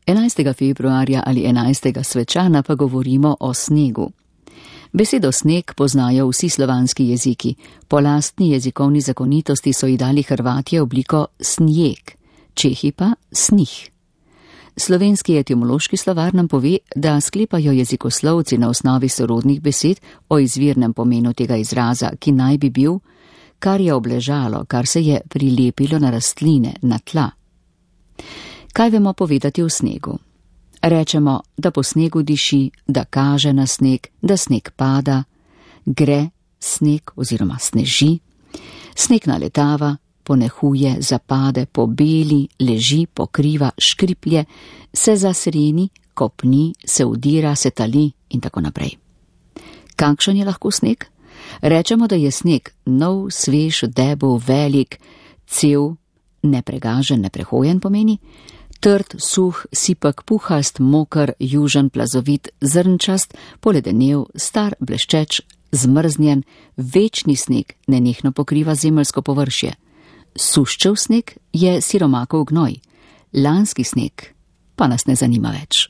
11. februarja ali 11. svečana pa govorimo o snegu. Besedo sneg poznajo vsi slovanski jeziki. Po lastni jezikovni zakonitosti so ji dali Hrvatje obliko snijeg, Čehi pa snih. Slovenski etimološki slovar nam pove, da sklepajo jezikoslovci na osnovi sorodnih besed o izvirnem pomenu tega izraza, ki naj bi bil, kar je obležalo, kar se je prilepilo na rastline, na tla. Kaj vemo povedati o snegu? Rečemo, da po snegu diši, da kaže na sneg, da sneg pada, gre sneg oziroma sneži, sneg naletava, ponehuje, zapade, pobeli, leži, pokriva, škriplje, se zasreni, kopni, se udira, se tali in tako naprej. Kakšen je lahko sneg? Rečemo, da je sneg nov, svež, debel, velik, cel, nepregažen, neprehojen pomeni, trd, suh, sipek, puhast, moker, južen, plazovit, zrnčast, poledenev, star, bleščeč, zmrznjen, večni sneg nenehno pokriva zemeljsko površje. Suščev sneg je siromakov gnoj, lanski sneg pa nas ne zanima več.